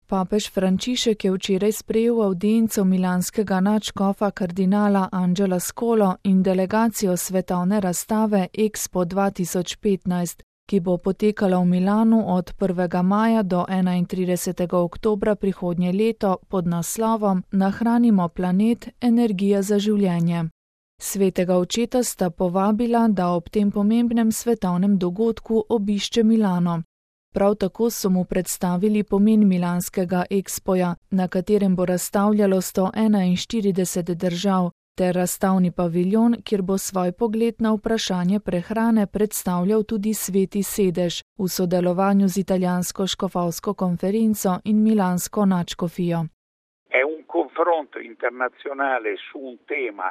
Papež Frančišek je včeraj sprejel avdienco milanskega nadškofa kardinala Angela Scolo in delegacijo svetovne razstave Expo 2015, ki bo potekala v Milanu od 1. maja do 31. oktobra prihodnje leto pod naslovom Nahranimo planet, energija za življenje. Svetega očeta sta povabila, da ob tem pomembnem svetovnem dogodku obišče Milano. Prav tako so mu predstavili pomen milanskega Expoja, na katerem bo razstavljalo 141 držav, ter razstavni paviljon, kjer bo svoj pogled na vprašanje prehrane predstavljal tudi Sveti sedež v sodelovanju z italijansko škofovsko konferenco in milansko nadškofijo. È un confronto internazionale su un tema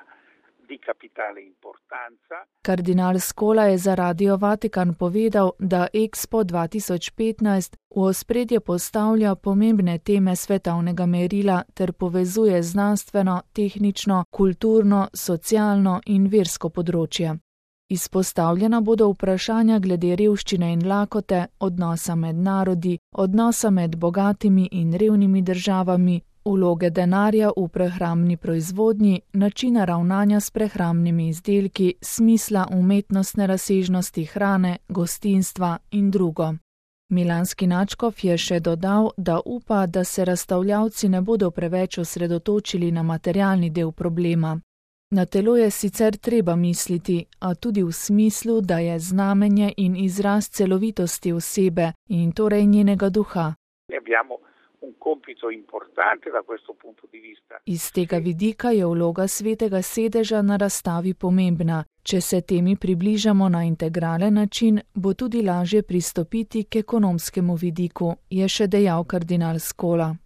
di capitale importanza. Kardinal Scola je za Radio Vatikan povedal, da Expo 2015 v ospredje postavlja pomembne teme svetovnega merila ter povezuje znanstveno, tehnično, kulturno, socialno in versko področje. Izpostavljena bodo vprašanja glede revščine in lakote, odnosa med narodi, odnosa med bogatimi in revnimi državami, vloge denarja v prehrambni proizvodnji, načina ravnanja s prehrambnimi izdelki, smisla umetnostne razsežnosti hrane, gostinstva in drugo. Milanski nadškof je še dodal, da upa, da se razstavljavci ne bodo preveč osredotočili na materialni del problema. Na telo je sicer treba misliti, a tudi v smislu, da je znamenje in izraz celovitosti osebe in torej njenega duha. Iz tega vidika je vloga Svetega sedeža na razstavi pomembna. Če se temi približamo na integralen način, bo tudi lažje pristopiti k ekonomskemu vidiku, je še dejal kardinal Scola.